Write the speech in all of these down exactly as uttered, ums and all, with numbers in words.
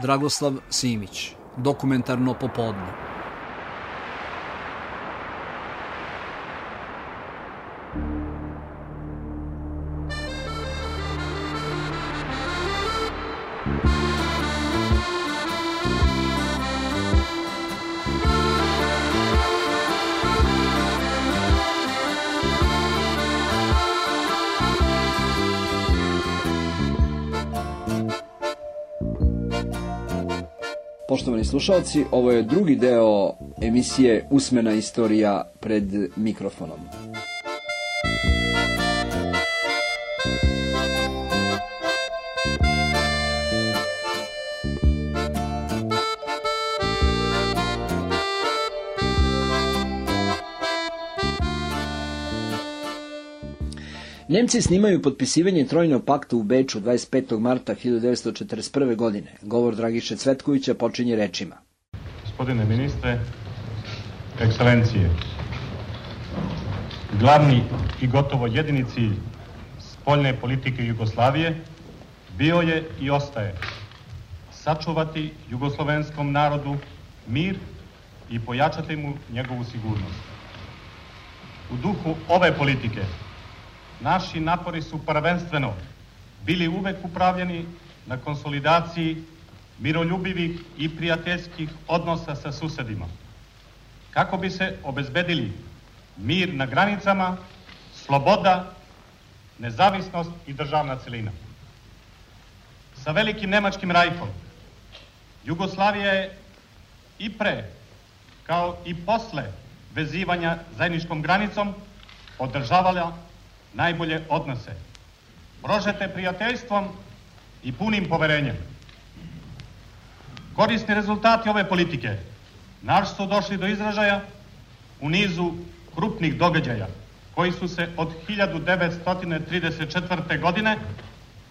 Dragoslav Simić, Dokumentarno popodne. Poštovani slušalci, ovo je drugi deo emisije Usmena istorija pred mikrofonom. Njemci snimaju potpisivanje Trojnog pakta u Beču dvadeset petog marta hiljadu devetsto četrdeset prve. godine. Govor Dragiše Cvetkovića počinje rečima. Gospodine ministre, ekscelencije, glavni i gotovo jedini cilj spoljne politike Jugoslavije bio je i ostaje sačuvati jugoslovenskom narodu mir i pojačati mu njegovu sigurnost. U duhu ove politike naši napori su prvenstveno bili uvek upravljeni na konsolidaciji miroljubivih i prijateljskih odnosa sa susedima, kako bi se obezbedili mir na granicama, sloboda, nezavisnost i državna celina. Sa velikim nemačkim rajkom Jugoslavija je i pre, kao i posle vezivanja zajedničkom granicom održavala najbolje odnose, prožete prijateljstvom i punim poverenjem. Korisni rezultati ove politike naš su došli do izražaja u nizu krupnih događaja koji su se od hiljadu devetsto trideset četvrte. godine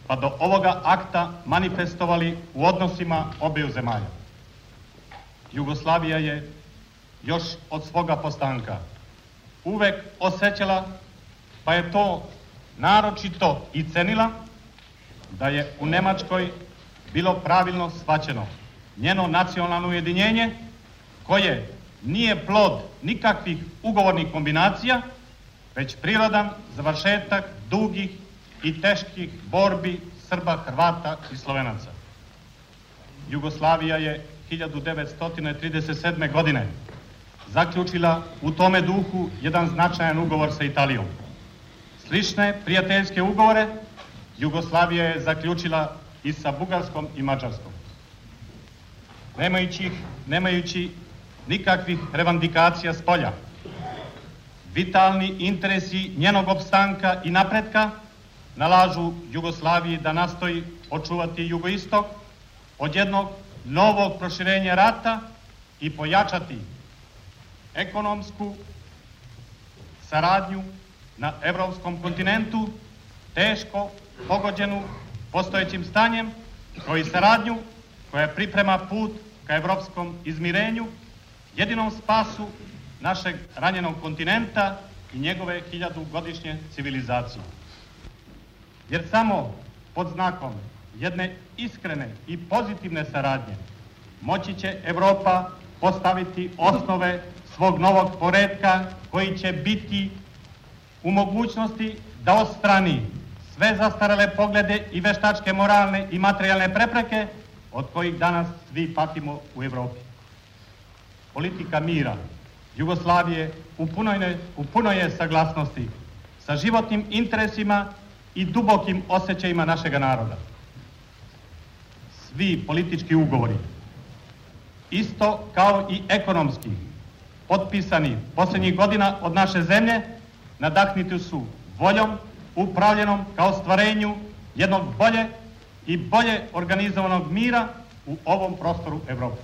pa do ovoga akta manifestovali u odnosima obeju zemalja. Jugoslavija je još od svoga postanka uvek osjećala, pa je to naročito i cenila, da je u Nemačkoj bilo pravilno shvaćeno njeno nacionalno ujedinjenje, koje nije plod nikakvih ugovornih kombinacija, već prirodan završetak dugih i teških borbi Srba, Hrvata i Slovenaca. Jugoslavija je hiljadu devetsto trideset sedme. godine zaključila u tome duhu jedan značajan ugovor sa Italijom. Slične prijateljske ugovore Jugoslavija je zaključila i sa Bugarskom i Mađarskom. Nemajući, nemajući nikakvih revandikacija s polja, vitalni interesi njenog opstanka i napretka nalažu Jugoslaviji da nastoji očuvati jugoistok od jednog novog proširenja rata i pojačati ekonomsku saradnju na evropskom kontinentu, teško pogođenu postojećim stanjem, kao i saradnju koja priprema put ka evropskom izmirenju, jedinom spasu našeg ranjenog kontinenta i njegove hiljadugodišnje civilizacije. Jer samo pod znakom jedne iskrene i pozitivne saradnje moći će Evropa postaviti osnove svog novog poretka koji će biti u mogućnosti da odstrani sve zastarele poglede i veštačke moralne i materijalne prepreke od kojih danas svi patimo u Evropi. Politika mira Jugoslavije u punoj, u punoj je saglasnosti sa životnim interesima i dubokim osjećajima našega naroda. Svi politički ugovori, isto kao i ekonomski, potpisani posljednjih godina od naše zemlje, nadahniti su voljom upravljenom kao stvarenju jednog bolje i bolje organizovanog mira u ovom prostoru Evrope.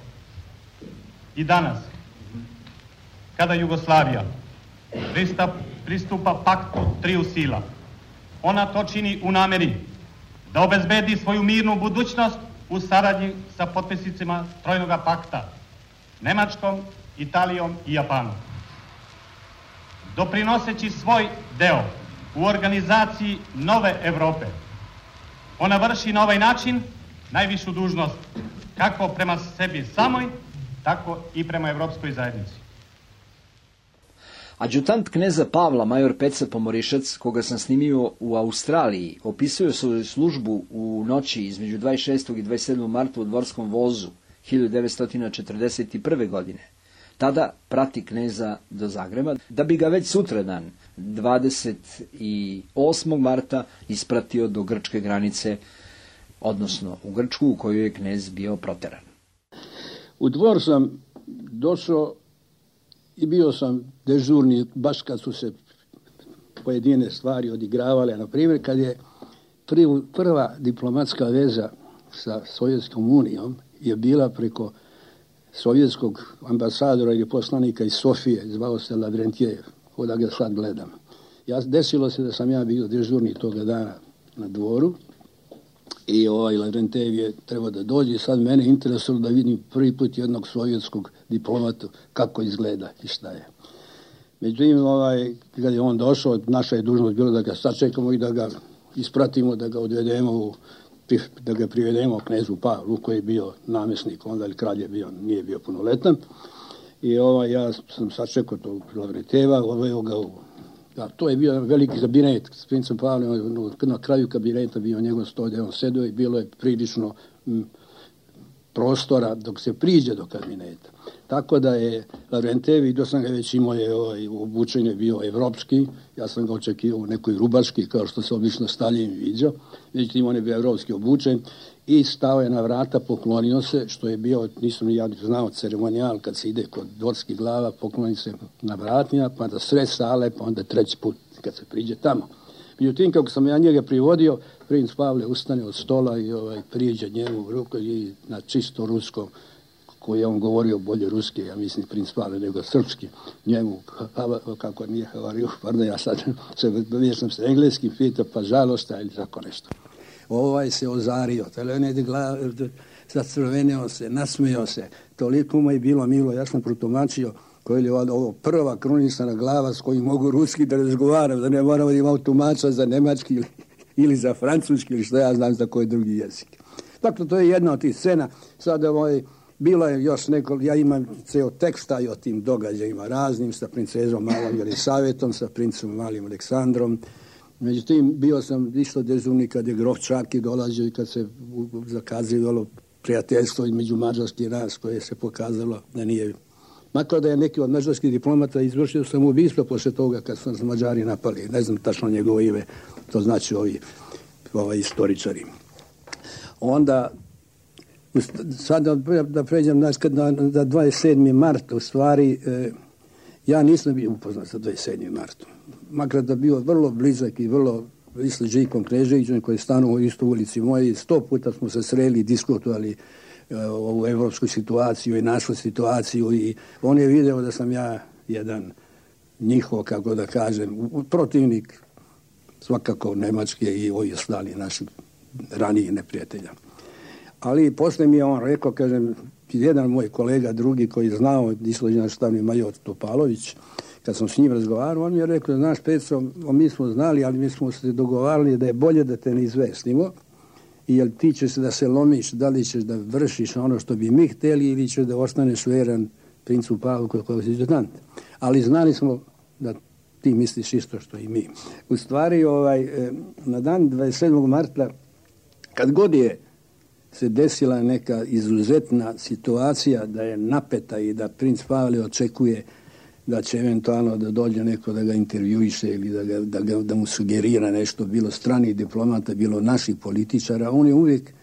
I danas, kada Jugoslavija pristupa paktu triju sila, ona to čini u nameri da obezbedi svoju mirnu budućnost u saradnji sa potpisnicima Trojnog pakta, Nemačkom, Italijom i Japanom. Doprinoseći svoj deo u organizaciji nove Evrope, ona vrši na ovaj način najvišu dužnost kako prema sebi samoj, tako i prema Evropskoj zajednici. Adjutant kneza Pavla, major Peca Pomorišac, koga sam snimio u Australiji, opisuje svoju službu u noći između dvadeset šestog i dvadeset sedmog marta u dvorskom vozu hiljadu devetsto četrdeset prve. godine. Tada prati kneza do Zagreba, da bi ga već sutradan, dvadeset osmog marta, ispratio do grčke granice, odnosno u Grčku u kojoj je knez bio proteran. U dvor sam došao i bio sam dežurni baš kad su se pojedine stvari odigravale. Na primjer, kad je prva diplomatska veza sa Sovjetskom unijom je bila preko sovjetskog ambasadora ili poslanika iz Sofije, zvao se Lavrentijev, da ga sad gledam. Ja, desilo se da sam ja bio dežurni toga dana na dvoru i ovaj Lavrentijev je trebao da dođe i sad mene interesuje da vidim prvi put jednog sovjetskog diplomata kako izgleda i šta je. Međutim, ovaj, kad je on došao, naša je dužnost bila da ga sačekamo i da ga ispratimo, da ga odvedemo u da ga privedemo knezu Pavlu koji je bio namjesnik, onda ili kralj je bio, nije bio punoletan. I ovaj, ja sam sačekao tog Lavrentieva, odveo ga u... Da, to je bio veliki kabinet s princem Pavlom, na kraju kabineta bio njegov sto gdje on sedio i bilo je prilično m, prostora dok se priđe do kabineta. Tako da je Lavrentijev, vidio sam ga već imao je ovaj, obučen je bio evropski, ja sam ga očekivao u nekoj rubaški, kao što se obično Staljin viđao, međutim on je bio evropski obučen i stao je na vrata, poklonio se, što je bio, nisam ni ja znao, ceremonijal kad se ide kod dvorskih glava, pokloni se na vratima, pa da sred sale, pa onda treći put kad se priđe tamo. Međutim, kako sam ja njega privodio, princ Pavle ustane od stola i ovaj, priđe njemu u ruku i na čisto ruskom, koji je on govorio bolje ruski, ja mislim princ Pavle, nego srpski, njemu, kako nije govorio, pardon, ja sad se vješam se engleski, pita, pa žalosta ili tako nešto. Ovaj se ozario, zacrvenio se, nasmijao se, toliko mu je bilo milo, ja sam protumačio koji je ovo prva krunisana glava s kojim mogu ruski da razgovaram, da ne moramo da imamo tumača za nemački ili, ili za francuski ili što ja znam za koji drugi jezik. Dakle, to je jedna od tih scena. Sada ovaj, bilo je još neko, ja imam ceo teksta i o tim događajima raznim sa princezom Malom Jelisavetom, sa princom Malim Aleksandrom. Međutim, bio sam isto dežurni kad je grof Čaki dolazio i kad se zakazivalo prijateljstvo između mađarskih nas koje se pokazalo da nije. Makar da je neki od mađarskih diplomata izvršio samoubistvo posle toga kad su nas Mađari napali. Ne znam tačno njegovo ime, to znači ovi, ovi istoričari. Onda, sada da pređem na, na dvadeset sedmi mart, u stvari, eh, ja nisam bio upoznat sa dvadeset sedmim martom. Makar da bio vrlo blizak i vrlo isto Žikom Kneževićem koji je stanuo u istu ulici moje. Sto puta smo se sreli i diskutovali ovu evropsku situaciju i našu situaciju i on je video da sam ja jedan njihov, kako da kažem, protivnik svakako Nemačke i ovi ostali naših ranijih neprijatelja. Ali posle mi je on rekao, kažem, jedan moj kolega drugi koji je znao, islođen štavni major Topalović, kad sam s njim razgovarao, on mi je rekao, znaš Petro, mi smo znali, ali mi smo se dogovarali da je bolje da te ne izvestimo, jer ti ćeš da se lomiš, da li ćeš da vršiš ono što bi mi hteli ili ćeš da ostaneš veran princu Pavlu koji je adjutant. Ali znali smo da ti misliš isto što i mi. U stvari, ovaj, na dan dvadeset sedmog marta, kad god je se desila neka izuzetna situacija da je napeta i da princ Pavle očekuje da će eventualno da dođe neko da ga intervjuiše ili da, ga, da, ga, da mu sugerira nešto, bilo stranih diplomata, bilo naših političara, on je uvijek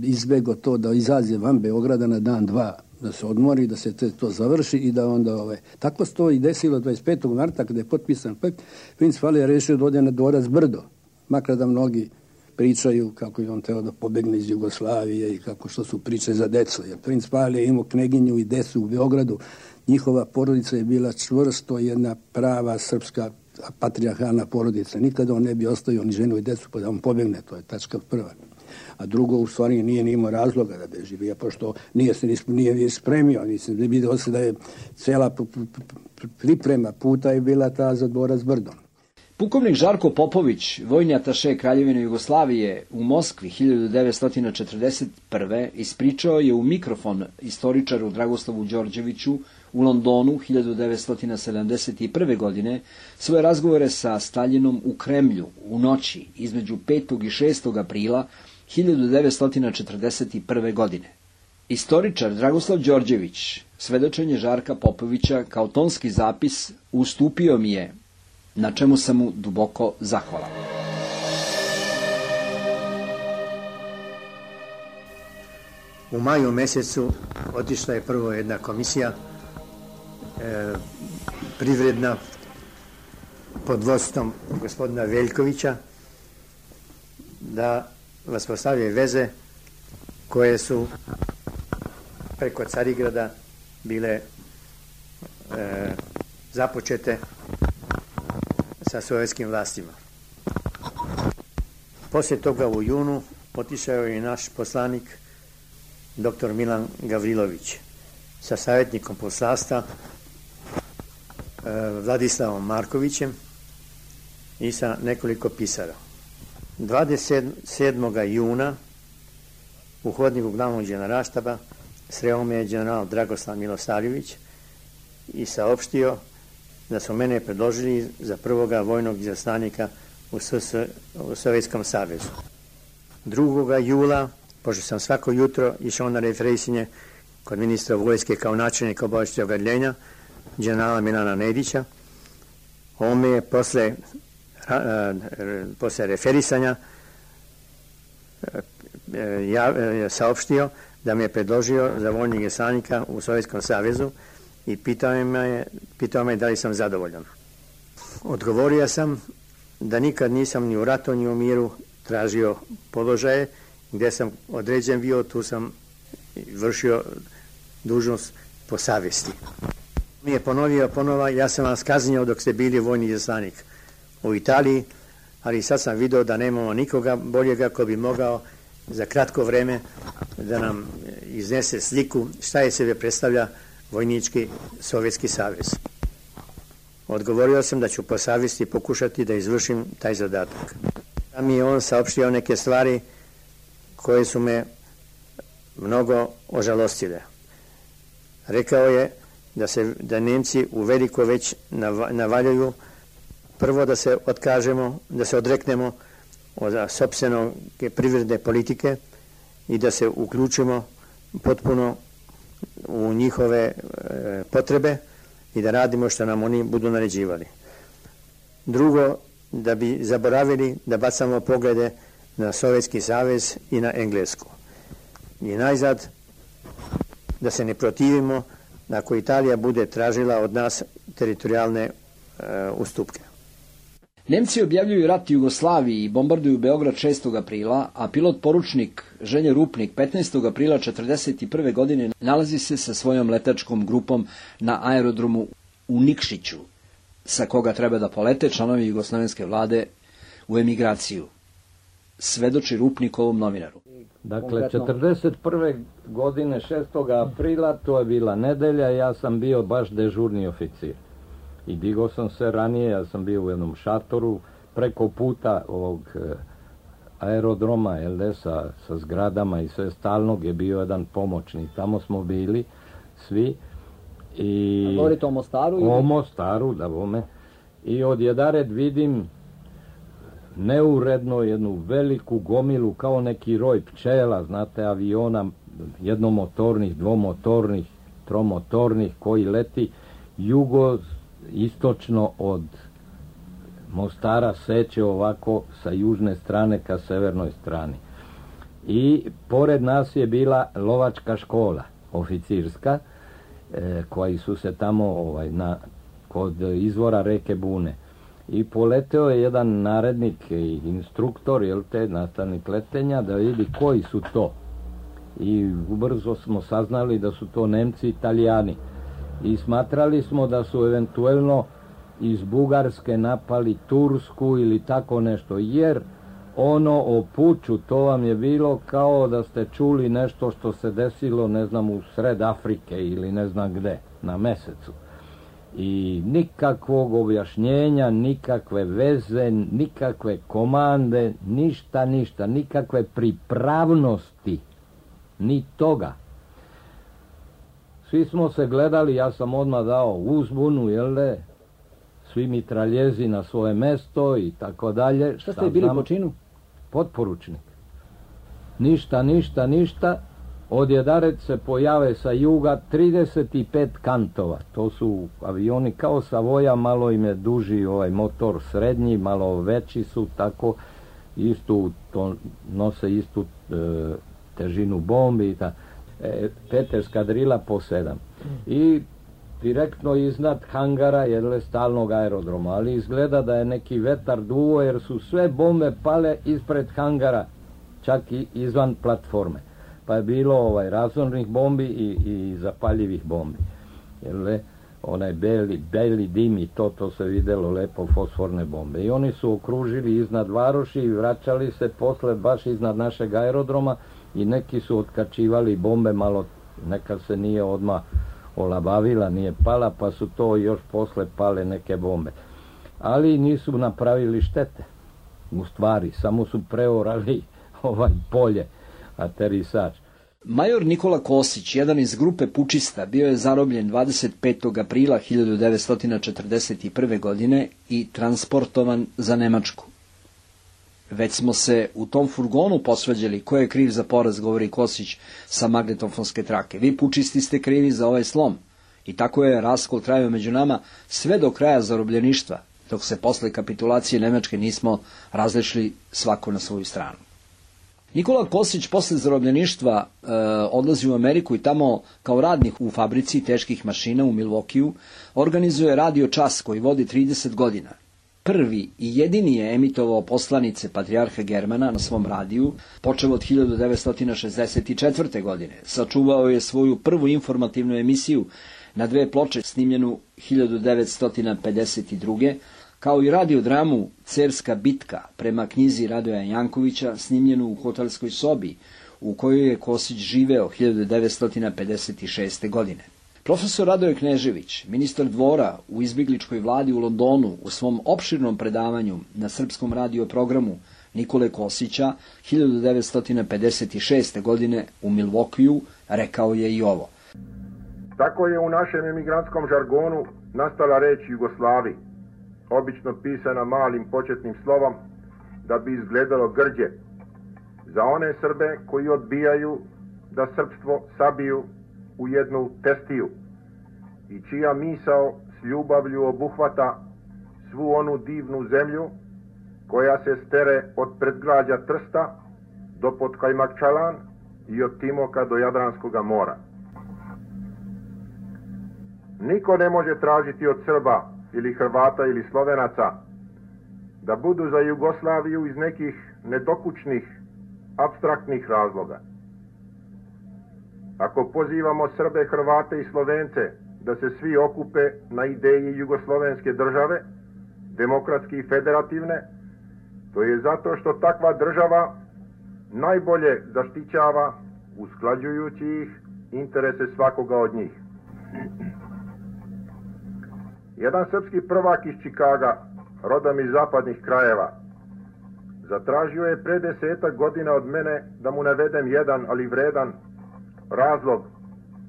izbegao to da izađe van Beograda na dan dva, da se odmori, da se te, to završi i da onda... Ove. Tako se to i desilo dvadeset petog marta kada je potpisan pakt, princ Pavle je rešio da ode na dvorac Brdo, makar da mnogi pričaju kako je on trebao da pobegne iz Jugoslavije i kako što su priče za decu. Jer princ Pavle je imao kneginju i decu u Beogradu. Njihova porodica je bila čvrsto jedna prava srpska patrijarhalna porodica. Nikada on ne bi ostavio ni ženu i decu pa da on pobegne. To je tačka prva. A drugo, u stvari, nije ni imao razloga da beži. Pošto nije se nije spremio. Mislim, vidio se da je cela priprema puta je bila ta za dvorac Brdo. Pukovnik Žarko Popović, vojni ataše Kraljevine Jugoslavije u Moskvi hiljadu devetsto četrdeset prve. ispričao je u mikrofon istoričaru Dragoslavu Đorđeviću u Londonu hiljadu devetsto sedamdeset prve. godine svoje razgovore sa Staljinom u Kremlju u noći između petog i šestog aprila hiljadu devetsto četrdeset prve. godine. Istoričar Dragoslav Đorđević svedočenje Žarka Popovića kao tonski zapis ustupio mi je, na čemu sam mu duboko zahvalan. U maju mesecu otišla je prvo jedna komisija e, privredna pod vodstvom gospodina Veljkovića da uspostavljaju veze koje su preko Carigrada bile e, započete sa sovjetskim vlastima. Poslije toga u junu otišao je i naš poslanik doktor Milan Gavrilović sa savjetnikom poslanstva e, Vladislavom Markovićem i sa nekoliko pisara. dvadeset sedmog juna u hodniku glavnog generalštaba sreo me je general Dragoslav Milosavljević i saopštio da su mene predložili za prvoga vojnog izaslanika u, u Sovjetskom savezu. drugoga jula, pošto sam svako jutro išao na referisinje kod ministra vojske kao načelnika obavještajnog odeljenja, generala Milana Nedića, on me je posle, a, posle referisanja ja, saopštio da me je predložio za vojnog izaslanika u Sovjetskom savezu i pitao me, pitao me da li sam zadovoljan. Odgovorio sam da nikad nisam ni u ratu ni u miru tražio položaje, gdje sam određen bio, tu sam vršio dužnost po savjesti. Mi je ponovio ponova, ja sam vas kaznio dok ste bili vojni izaslanik u Italiji, ali sad sam vidio da nemamo nikoga boljega ko bi mogao za kratko vreme da nam iznese sliku šta je sebe predstavlja Vojnički Sovjetski savez. Odgovorio sam da ću po savjesti pokušati da izvršim taj zadatak. Da mi je on saopštio neke stvari koje su me mnogo ožalostile. Rekao je da se da Nemci u veliko već navaljuju prvo da se otkažemo, da se odreknemo od sopstvene privredne politike i da se uključimo potpuno u njihove e, potrebe i da radimo što nam oni budu naređivali. Drugo, da bi zaboravili da bacamo poglede na Sovjetski savez i na Englesku. I najzad, da se ne protivimo ako Italija bude tražila od nas teritorijalne e, ustupke. Nemci objavljuju rat Jugoslaviji i bombarduju Beograd šestog aprila, a pilot poručnik Ženje Rupnik petnaestog aprila četrdeset prve. godine nalazi se sa svojom letačkom grupom na aerodromu u Nikšiću, sa koga treba da polete članovi jugoslovenske vlade u emigraciju. Svedoči Rupnik ovom novinaru. Dakle, četrdeset prve. godine šestog aprila, to je bila nedelja, ja sam bio baš dežurni oficir. I digao sam se ranije, ja sam bio u jednom šatoru preko puta ovog aerodroma, L D, sa, sa zgradama i sve stalnog je bio jedan pomoćnik. Tamo smo bili svi. I a govorite o Mostaru? O ili? Mostaru, da bome. I odjedared vidim neuredno jednu veliku gomilu, kao neki roj pčela, znate, aviona, jednomotornih, dvomotornih, tromotornih, koji leti jugo istočno od Mostara seće ovako sa južne strane ka severnoj strani. I pored nas je bila lovačka škola, oficirska, e, koji su se tamo ovaj, na, kod izvora reke Bune. I poleteo je jedan narednik i instruktor, jel te, nastavnik letenja, da vidi koji su to. I ubrzo smo saznali da su to Nemci i Italijani. I smatrali smo da su eventuelno iz Bugarske napali Tursku ili tako nešto, jer ono o puču, to vam je bilo kao da ste čuli nešto što se desilo, ne znam, u sred Afrike ili ne znam gde, na mesecu. I nikakvog objašnjenja, nikakve veze, nikakve komande, ništa, ništa, nikakve pripravnosti, ni toga. Svi smo se gledali, ja sam odmah dao uzbunu, jel de, svi mitraljezi na svoje mesto i tako dalje. Šta ste bili po činu? Potporučnik. Ništa, ništa, ništa. Odjedaret se pojave sa juga trideset pet kantova. To su avioni kao Savoja, malo im je duži ovaj motor srednji, malo veći su, tako istu, to nose istu e, težinu bombi i ta. E, pet eskadrila po sedam. I direktno iznad hangara, jer stalnog aerodroma, ali izgleda da je neki vetar duvo, jer su sve bombe pale ispred hangara, čak i izvan platforme. Pa je bilo ovaj razornih bombi i, i zapaljivih bombi. Jer onaj beli, beli dim i to, to se videlo lepo, fosforne bombe. I oni su okružili iznad varoši i vraćali se posle baš iznad našeg aerodroma i neki su otkačivali bombe, malo neka se nije odmah olabavila, nije pala, pa su to još posle pale neke bombe. Ali nisu napravili štete. U stvari, samo su preorali ovaj polje, aterisač. Major Nikola Kosić, jedan iz grupe pučista, bio je zarobljen dvadeset petog aprila hiljadu devetsto četrdeset prve. godine i transportovan za Nemačku. Već smo se u tom furgonu posvađali ko je kriv za poraz, govori Kosić sa magnetofonske trake. Vi pučisti ste krivi za ovaj slom. I tako je raskol trajao među nama sve do kraja zarobljeništva, dok se posle kapitulacije Nemačke nismo različili svako na svoju stranu. Nikola Kosić posle zarobljeništva e, odlazi u Ameriku i tamo kao radnik u fabrici teških mašina u Milwaukeeu organizuje radio čas koji vodi trideset godina. Prvi i jedini je emitovao poslanice patrijarha Germana na svom radiju, počeo od hiljadu devetsto šezdeset četvrte. godine. Sačuvao je svoju prvu informativnu emisiju na dve ploče snimljenu hiljadu devetsto pedeset druge. kao i radiodramu Cerska bitka prema knjizi Radoja Jankovića snimljenu u hotelskoj sobi u kojoj je Kosić živeo hiljadu devetsto pedeset šeste. godine. Profesor Radoje Knežević, ministar dvora u izbjegličkoj vladi u Londonu, u svom opširnom predavanju na srpskom radio programu Nikole Kosića hiljadu devetsto pedeset šeste. godine u Milwaukeeu rekao je i ovo. Tako je u našem emigrantskom žargonu nastala reč Jugoslavi, obično pisana malim početnim slovom da bi izgledalo grđe, za one Srbe koji odbijaju da srpstvo sabiju u jednu testiju i čija misao s ljubavlju obuhvata svu onu divnu zemlju koja se stere od predgrađa Trsta do Podkajmakčalan i od Timoka do Jadranskoga mora. Niko ne može tražiti od Srba ili Hrvata ili Slovenaca da budu za Jugoslaviju iz nekih nedokućnih, apstraktnih razloga. Ako pozivamo Srbe, Hrvate i Slovence da se svi okupe na ideji jugoslovenske države, demokratske i federativne, to je zato što takva država najbolje zaštićava, usklađujući ih, interese svakoga od njih. Jedan srpski prvak iz Čikaga, rodom iz zapadnih krajeva, zatražio je pre desetak godina od mene da mu navedem jedan, ali vredan, razlog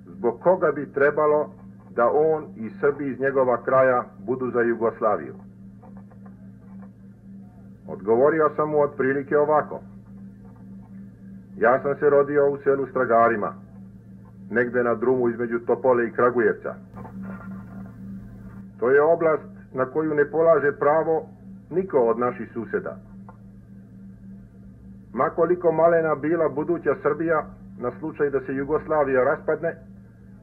zbog koga bi trebalo da on i Srbi iz njegova kraja budu za Jugoslaviju. Odgovorio sam mu otprilike ovako. Ja sam se rodio u selu Stragarima, negde na drumu između Topole i Kragujevca. To je oblast na koju ne polaže pravo niko od naših suseda. Makoliko malena bila buduća Srbija, na slučaj da se Jugoslavija raspadne,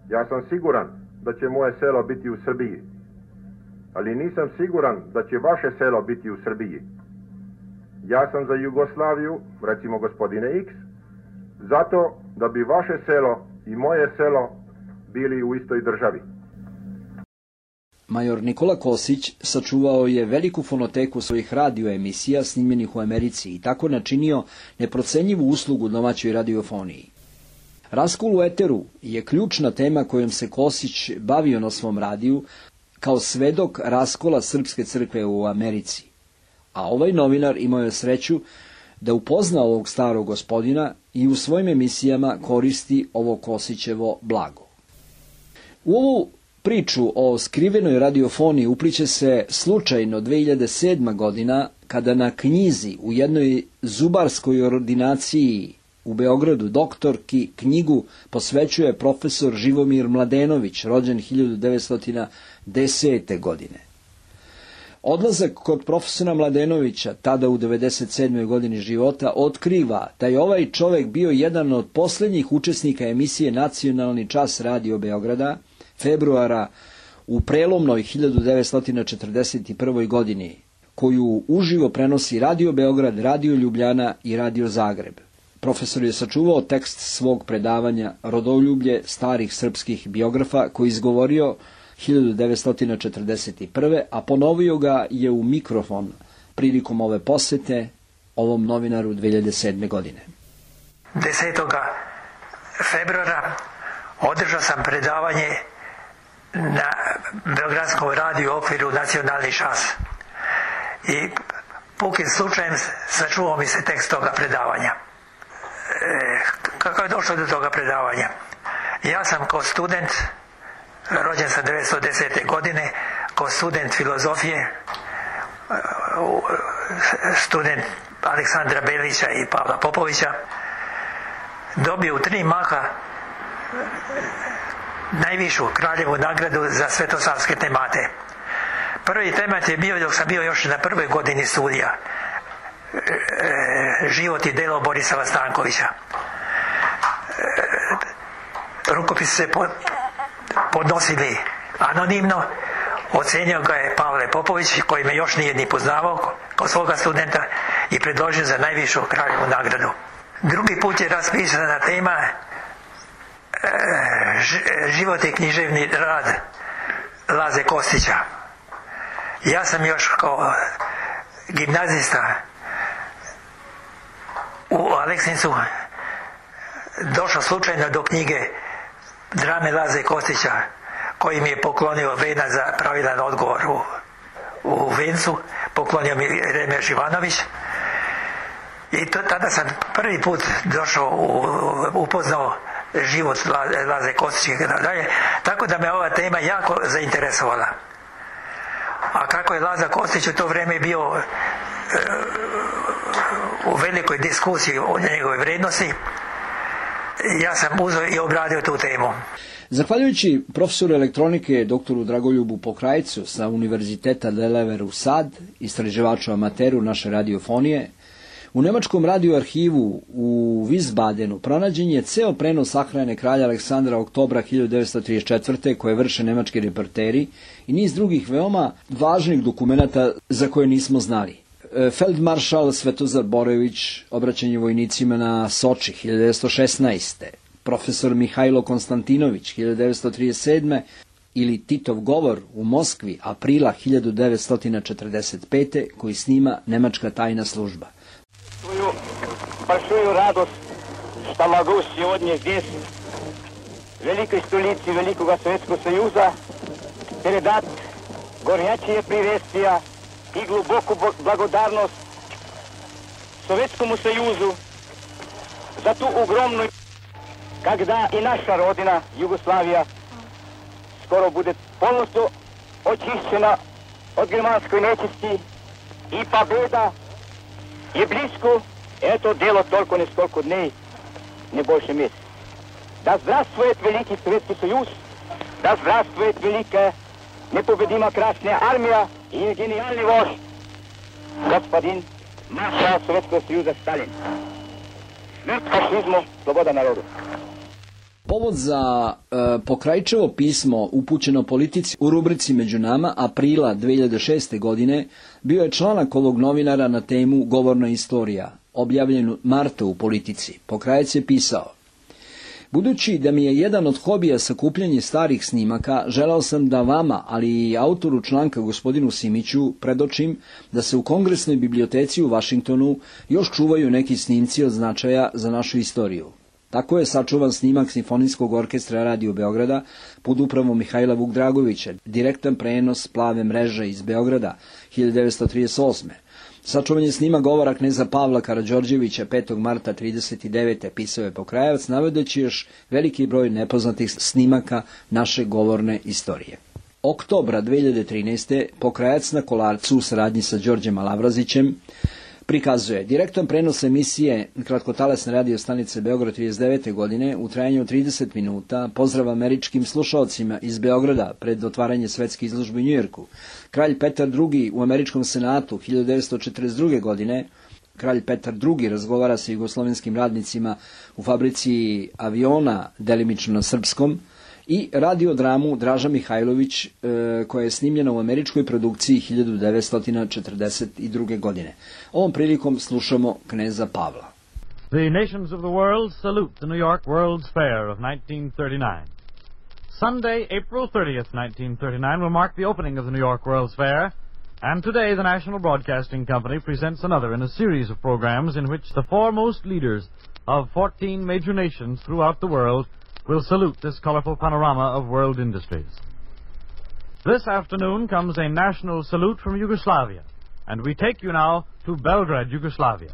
ja sam siguran da će moje selo biti u Srbiji. Ali nisam siguran da će vaše selo biti u Srbiji. Ja sam za Jugoslaviju, recimo gospodine X, zato da bi vaše selo i moje selo bili u istoj državi. Major Nikola Kosić sačuvao je veliku fonoteku svojih radioemisija snimljenih u Americi i tako načinio neprocenjivu uslugu domaćoj radiofoniji. Raskol u eteru je ključna tema kojom se Kosić bavio na svom radiju, kao svedok raskola Srpske crkve u Americi. A ovaj novinar imao je sreću da upozna ovog starog gospodina i u svojim emisijama koristi ovo Kosićevo blago. U ovu priču o skrivenoj radiofoniji upliće se slučajno dve hiljade sedma. godina, kada na knjizi u jednoj zubarskoj ordinaciji u Beogradu doktorki knjigu posvećuje profesor Živomir Mladenović, rođen hiljadu devetsto desete. godine. Odlazak kod profesora Mladenovića, tada u devedeset sedmoj. godini života, otkriva da je ovaj čovek bio jedan od posljednjih učesnika emisije Nacionalni čas radio Beograda, februara u prelomnoj hiljadu devetsto četrdeset prvoj. godini, koju uživo prenosi Radio Beograd, Radio Ljubljana i Radio Zagreb. Profesor je sačuvao tekst svog predavanja Rodoljublje starih srpskih biografa, koji izgovorio hiljadu devetsto četrdeset prve. a ponovio ga je u mikrofon prilikom ove posete ovom novinaru dve hiljade sedme. godine. desetog februara održao sam predavanje na Beogradskom radiju u okviru Nacionalni čas. I pukim slučajem sačuvao mi se tekst toga predavanja. E, kako je došlo do toga predavanja? Ja sam kao student, rođen sam devetsto desete. godine, kao student filozofije, student Aleksandra Belića i Pavla Popovića, dobio u tri maha najvišu kraljevu nagradu za svetosavske temate. Prvi temat je bio, dok sam bio još na prvoj godini studija, život i delo Borisava Stankovića. Rukopis se podnosili anonimno, ocenio ga je Pavle Popović, koji me još nije ni poznavao kao svoga studenta, i predložio za najvišu kraljevu nagradu. Drugi put je raspisana tema život i književni rad Laze Kostića. Ja sam još kao gimnazista u Aleksincu došao slučajno do knjige drame Laze Kostića, koji mi je poklonio Vena za pravilan odgovor u, u Vencu, poklonio mi Remeš Ivanović. I to, tada sam prvi put došao, u, upoznao život Laze Kostića i tako dalje, tako da me ova tema jako zainteresovala. A kako je Laza Kostić u to vrijeme bio e, u velikoj diskusiji o njegove vrednosti, ja sam uzeo i obradio tu temu. Zahvaljujući profesoru elektronike doktoru Dragoljubu Pokrajcu sa Univerziteta Delaware u Sad, istraživaču amateru naše radiofonije, u nemačkom radioarhivu u Wiesbadenu pronađen je ceo prenos sahrane kralja Aleksandra oktobra hiljadu devetsto trideset četvrte. koje vrše nemački reporteri i niz drugih veoma važnih dokumenata za koje nismo znali. Feldmaršal Svetozar Borojević, obraćanje vojnicima na Soči hiljadu devetsto šesnaeste. Profesor Mihajlo Konstantinović hiljadu devetsto trideset sedme. ili Titov govor u Moskvi aprila hiljadu devetsto četrdeset pete. koji snima nemačka tajna služba. Svoju большую radost što mogu сегодня здесь, в великой столице Великого Советского Союза, передать горячие приветствия и глубокую благодарность Советскому Союзу за ту огромную, когда и наша родина, Югославия, скоро будет полностью очищена от германской нечисти, и победа je blisko, eto delo toliko neskoliko dnей, не больше месяца. Да здравствует Великий Советский Союз, да здравствует великая непобедима Красная Армия и гениальный вождь, господин маршал Советского Союза Сталин. Смерть фашизму, sloboda народу. Povod za e, Pokrajčevo pismo upućeno politici u rubrici Među nama aprila dve hiljade šeste. godine bio je članak ovog novinara na temu Govorna istorija, objavljen marta u Politici. Pokrajec je pisao: budući da mi je jedan od hobija sakupljanje starih snimaka, želao sam da vama, ali i autoru članka gospodinu Simiću, predočim da se u Kongresnoj biblioteci u Vašingtonu još čuvaju neki snimci od značaja za našu istoriju. Tako je sačuvan snimak Simfonijskog orkestra Radio Beograda pod upravom Mihajla Vukdragovića, direktan prenos Plave mreže iz Beograda hiljadu devetsto trideset osme. Sačuvan je snimak govora kneza Pavla Karađorđevića petog marta trideset devete. Pisao je Pokrajac, navodeći još veliki broj nepoznatih snimaka naše govorne istorije. Oktobra dve hiljade trinaeste. Pokrajac na Kolarcu u saradnji sa Đorđem Alavrazićem prikazuje direktan prenos emisije kratkotalasne radio stanice Beograd trideset devete. godine u trajanju od trideset minuta, pozdrav američkim slušaocima iz Beograda pred otvaranje svetske izložbe u Njujorku. Kralj Petar drugi u američkom senatu hiljadu devetsto četrdeset druge. godine. Kralj Petar drugi razgovara sa jugoslovenskim radnicima u fabrici aviona, delimično na srpskom, i radiodramu Draža Mihajlović, e, koja je snimljena u američkoj produkciji hiljadu devetsto četrdeset druge. godine. Ovom prilikom slušamo kneza Pavla. The nations of the world salute the New York World's Fair of nineteen thirty-nine. Sunday, April thirtieth, nineteen thirty-nine will mark the opening of the New York World's Fair, and today the National Broadcasting Company presents another in a series of programs in which the foremost leaders of fourteen major nations throughout the world will salute this colorful panorama of world industries. This afternoon comes a national salute from Yugoslavia, and we take you now to Belgrade, Yugoslavia.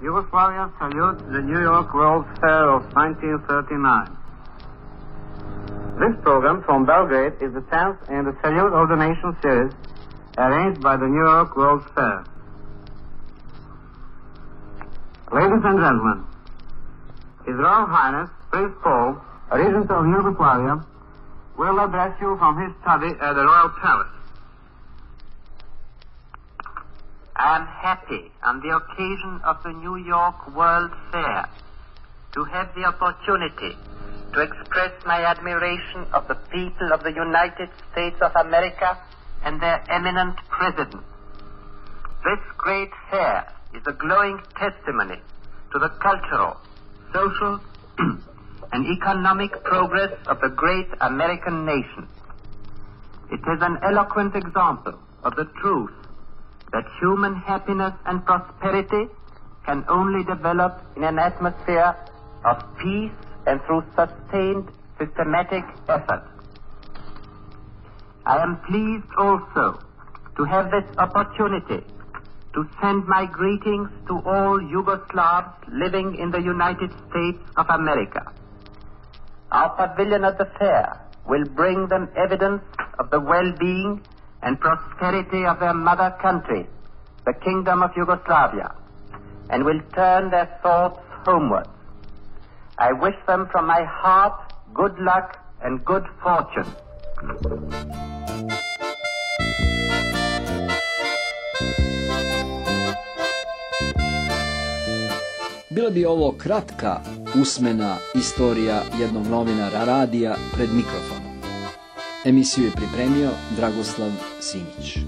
Yugoslavia salutes the New York World's Fair of nineteen thirty-nine. This program from Belgrade is the tenth in the Salute of the Nation series arranged by the New York World's Fair. Ladies and gentlemen, His Royal Highness Prince Paul, Regent of Yugoslavia, will address you from his study at the Royal Palace. I am happy on the occasion of the New York World Fair to have the opportunity to express my admiration of the people of the United States of America and their eminent president. This great fair is a glowing testimony to the cultural, social, and economic progress of the great American nation. It is an eloquent example of the truth that human happiness and prosperity can only develop in an atmosphere of peace and through sustained systematic effort. I am pleased also to have this opportunity to send my greetings to all Yugoslavs living in the United States of America. Our pavilion at the fair will bring them evidence of the well-being and prosperity of their mother country, the Kingdom of Yugoslavia, and will turn their thoughts homeward. I wish them from my heart good luck and good fortune. Bila bi ovo kratka usmena istorija jednog novinara radija pred mikrofonom. Emisiju je pripremio Dragoslav Simić.